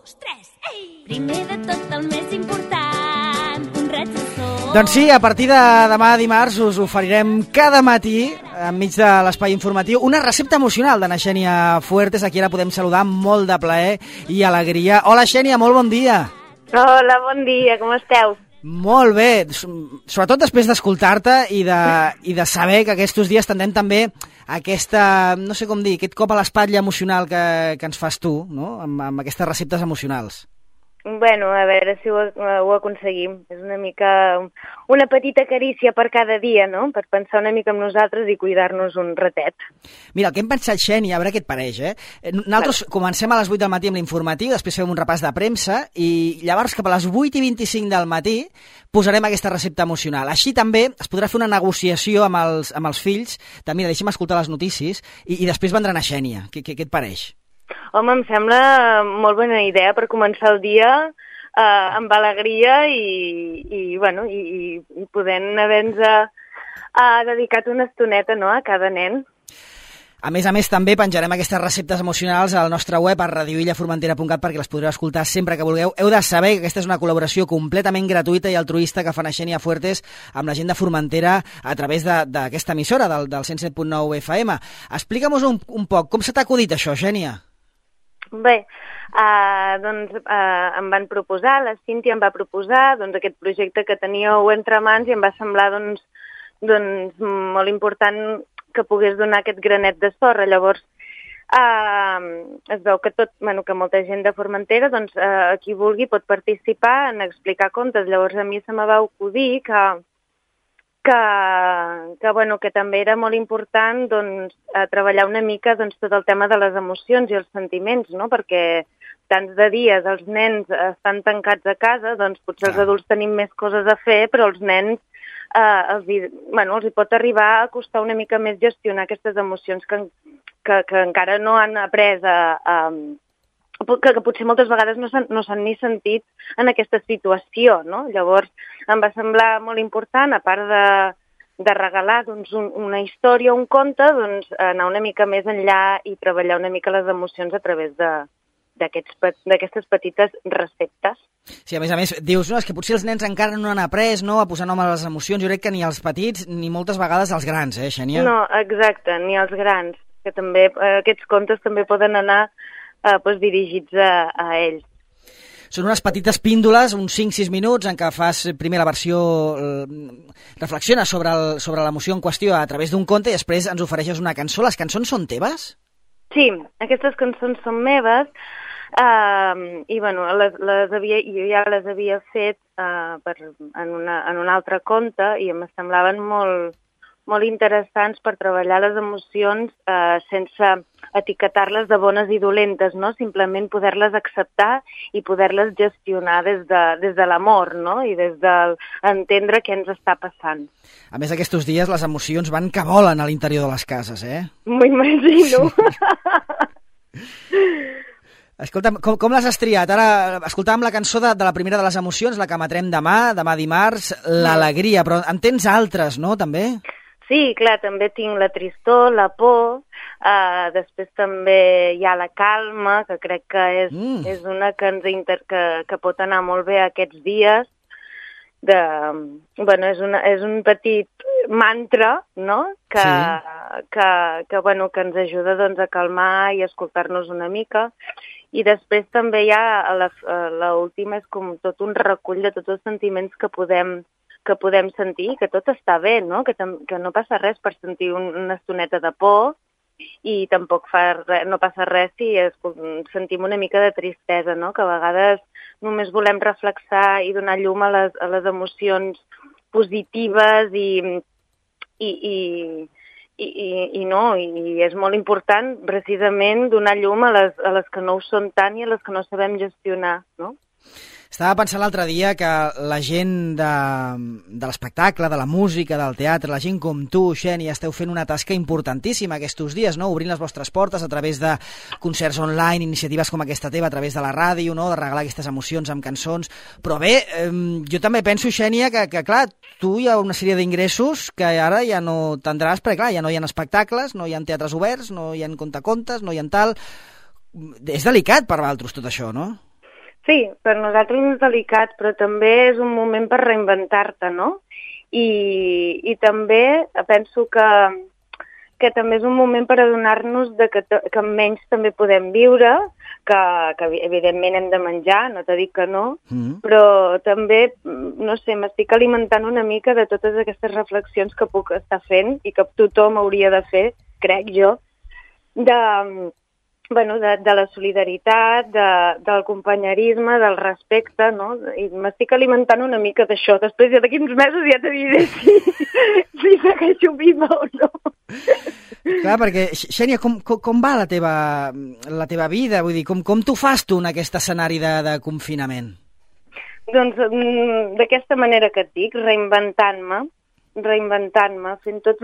2, 3, ei! Primer de tot el més important, un raig de sol. Doncs sí, a partir de demà dimarts us oferirem cada matí, enmig de l'espai informatiu, una recepta emocional de na Xènia Fuertes, a qui ara podem saludar amb molt de plaer i alegria. Hola Xènia, molt bon dia. Hola, bon dia, com esteu? Molt bé, sobretot després d'escoltar-te i de saber que aquests dies tendem també a aquesta, no sé com dir, aquest cop a l'espatlla emocional que ens fas tu, no? Amb aquestes receptes emocionals. Bueno, a veure si ho aconseguim. És una mica una petita carícia per cada dia, no? Per pensar una mica en nosaltres i cuidar-nos un ratet. Mira, el que hem pensat, Xènia, a veure què et pareix, Nosaltres comencem a les 8 del matí amb l'informatiu, després fem un repàs de premsa i llavors cap a les 8:25 del matí posarem aquesta recepta emocional. Així també es podrà fer una negociació amb els fills de, mira, deixa'm escoltar les notícies i després vendrà na Xènia. Què et pareix? Home, em sembla molt bona idea per començar el dia amb alegria i podent haver-nos dedicat una estoneta, no?, a cada nen. A més, també penjarem aquestes receptes emocionals al nostre web a radioillaformentera.cat perquè les podreu escoltar sempre que vulgueu. Heu de saber que aquesta és una col·laboració completament gratuïta i altruista que fa na Xènia Fuertes amb la gent de Formentera a través d'aquesta emissora, del 107.9 FM. Explica'm-nos un poc, com se t'ha acudit això, Xènia? Bé, em van proposar, la Cíntia em va proposar aquest projecte que teníeu entre mans i em va semblar molt important que pogués donar aquest granet de sorra. Llavors, es veu que que molta gent de Formentera, qui vulgui pot participar en explicar contes. Llavors a mi se me va acudir que també era molt important treballar una mica tot el tema de les emocions i els sentiments, no? Perquè tants de dies els nens estan tancats a casa, potser els adults tenim més coses a fer, però els nens els hi pot arribar a costar una mica més gestionar aquestes emocions que encara no han après que potser moltes vegades no s'han ni sentit en aquesta situació, no? Llavors, em va semblar molt important, a part de regalar una història, un conte, anar una mica més enllà i treballar una mica les emocions a través d'aquestes petites receptes. Sí, a més, dius, no, és que potser els nens encara no han après, no?, a posar nom a les emocions. Jo crec que ni els petits ni moltes vegades els grans, Xènia? No, exacte, ni els grans, que també aquests contes també poden anar dirigits a ells. Són unes petites píndoles, uns 5-6 minuts, en què fas primer la versió, reflexiones sobre l'emoció en qüestió a través d'un conte i després ens ofereixes una cançó. Les cançons són teves? Sí, aquestes cançons són meves i jo ja les havia fet en un altre conte i em semblaven molt interessants per treballar les emocions sense etiquetar-les de bones i dolentes, no? Simplement poder-les acceptar i poder-les gestionar des de l'amor, no? I des d'entendre què ens està passant. A més, aquests dies les emocions van que volen a l'interior de les cases, M'ho imagino. Escolta'm, com les has triat? Ara escoltàvem la cançó de la primera de les emocions, la que emetrem demà dimarts, l'alegria, però en tens altres, no, també? Sí, clar, també tinc la tristor, la por, després també hi ha la calma, que crec que és una que pot anar molt bé aquests dies. És un petit mantra, no?, que ens ajuda a calmar i escoltar-nos una mica. I després també hi ha, l'última és com tot un recull de tots els sentiments que podem sentir, que tot està bé, no? Que no passa res per sentir una estoneta de por i tampoc no passa res si sentim una mica de tristesa, no? Que a vegades només volem reflexar i donar llum a les emocions positives i és molt important precisament donar llum a les que no ho són tant i a les que no sabem gestionar, no? Estava pensant l'altre dia que la gent de l'espectacle, de la música, del teatre, la gent com tu, Xènia, esteu fent una tasca importantíssima aquests dies, no? Obrint les vostres portes a través de concerts online, iniciatives com aquesta teva, a través de la ràdio, no? De regalar aquestes emocions amb cançons. Però bé, jo també penso, Xènia, que clar, tu hi ha una sèrie d'ingressos que ara ja no tindràs, perquè clar, ja no hi ha espectacles, no hi ha teatres oberts, no hi ha contacontes, no hi ha tal... És delicat per vosaltres tot això, no? Sí, per nosaltres és delicat, però també és un moment per reinventar-te, no? I també penso que també és un moment per adonar-nos de que amb menys també podem viure, que evidentment hem de menjar, no t'he dit que no, però també, no sé, m'estic alimentant una mica de totes aquestes reflexions que puc estar fent i que tothom hauria de fer, crec jo, de la solidaritat, del companyerisme, del respecte, no? I m'estic alimentant una mica d'això. Després, d'aquí uns mesos ja te diré si segueixo viva o no. Clar, perquè, Xènia, com va la teva vida? Vull dir, com t'ho fas tu en aquest escenari de confinament? Doncs d'aquesta manera que et dic, reinventant-me, fent tot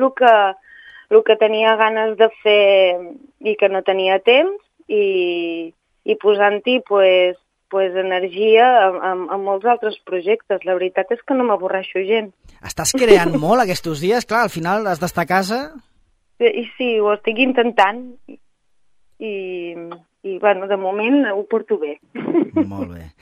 el que tenia ganes de fer i que no tenia temps i posant-hi energia a molts altres projectes. La veritat és que no m'avorreixo gens. Estàs creant molt aquests dies? Clar, al final has d'estar a casa. I sí, ho estic intentant i bueno, de moment ho porto bé. Molt bé.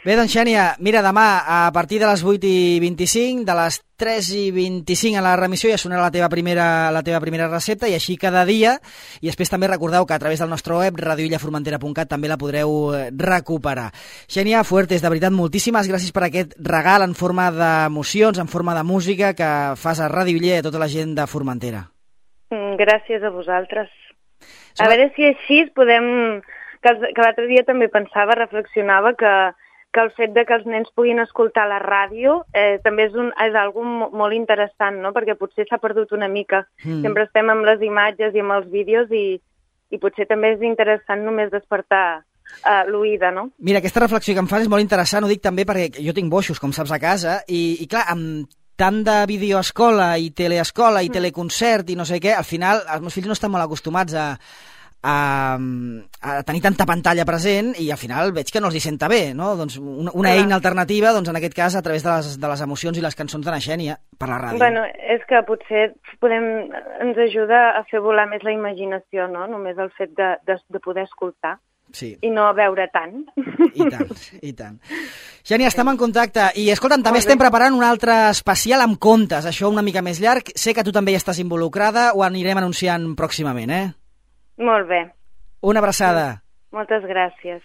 Bé, doncs, Xènia, mira, demà a partir de les 8:25, de les 3:25 a la remissió ja sonarà la teva primera recepta i així cada dia, i després també recordeu que a través del nostre web radioillaformentera.cat també la podreu recuperar. Xènia Fuertes, de veritat, moltíssimes gràcies per aquest regal en forma d'emocions, en forma de música que fas a Ràdio Illa i a tota la gent de Formentera. Gràcies a vosaltres. A veure si així podem... Que l'altre dia també pensava, reflexionava que el fet de que els nens puguin escoltar la ràdio també és algo molt interessant, no? Perquè potser s'ha perdut una mica. Sempre estem amb les imatges i amb els vídeos i potser també és interessant només despertar l'oïda, no? Mira, aquesta reflexió que em fas és molt interessant, ho dic també perquè jo tinc boixos, com saps, a casa, i clar, amb tant de videoescola i teleescola i teleconcert i no sé què, al final els meus fills no estan molt acostumats a tenir tanta pantalla present i al final veig que no els hi senta bé, no? Doncs una eina alternativa, doncs en aquest cas a través de les emocions i les cançons de na Xènia per la ràdio. Bueno, és que potser ens ajuda a fer volar més la imaginació, no? Només el fet de poder escoltar. Sí. I no veure tant. I tant. Xènia, estem en contacte. I escolta'm, també estem preparant un altre especial amb contes, això una mica més llarg. Sé que tu també hi estàs involucrada, ho anirem anunciant pròximament, eh? Molt bé. Una abraçada. Moltes gràcies.